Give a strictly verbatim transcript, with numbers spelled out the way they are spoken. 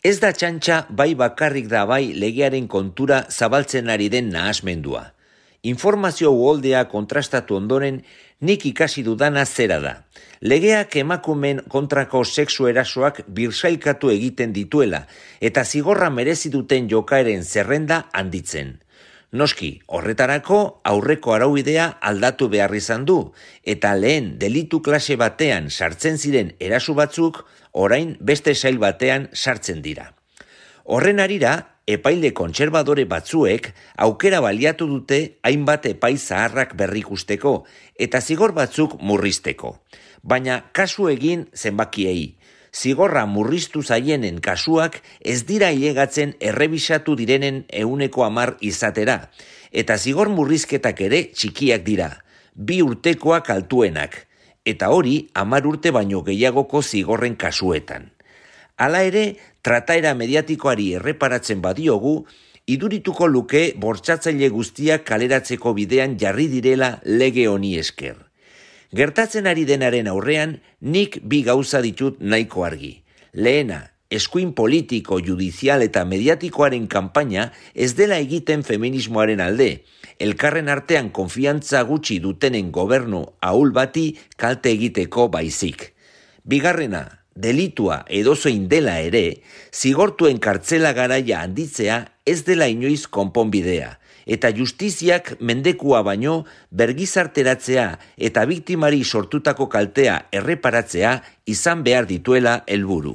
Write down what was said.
Ez da txantxa bai bakarrik da bai legearen kontura zabaltzen ari den nahasmendua. Informazio uholdea kontrastatu ondoren nik ikasi dudana zera da. Legeak emakumeen kontrako sexu erasoak birsailkatu egiten dituela eta zigorra merezi duten jokaeren zerrenda handitzen. Noski, horretarako aurreko araubidea aldatu behar izan du, eta lehen delitu klase batean sartzen ziren eraso batzuk, orain beste sail batean sartzen dira. Horren arira, epaile kontserbadore batzuek aukera baliatu dute hainbat epai zaharrak berrikusteko eta zigor batzuk murrizteko. Baina kasu egin zenbakiei. Zigorra murriztu zaienen kasuak ez dira ilegatzen errebisatu direnen ehuneko hamar izatera, eta zigor murrizketak ere txikiak dira, bi urtekoak altuenak, eta hori hamar urte baino gehiagoko zigorren kasuetan. Hala ere, trataera mediatikoari erreparatzen badiogu, idurituko luke bortxatzaile guztiak kaleratzeko bidean jarri direla lege honi esker. Gertatzen ari denaren aurrean, nik bi gauza ditut nahiko argi. Lehena, eskuin politiko, judizial eta mediatikoaren kanpaina ez dela egiten feminismoaren alde, elkarren artean konfiantza gutxi dutenen gobernu ahul bati kalte egiteko baizik. Bigarrena, delitua edozein dela ere, zigortuen kartzela garaia handitzea ez dela inoiz konponbidea, eta justiziak mendekua baino bergizarteratzea eta biktimari sortutako kaltea erreparatzea izan behar dituela helburu.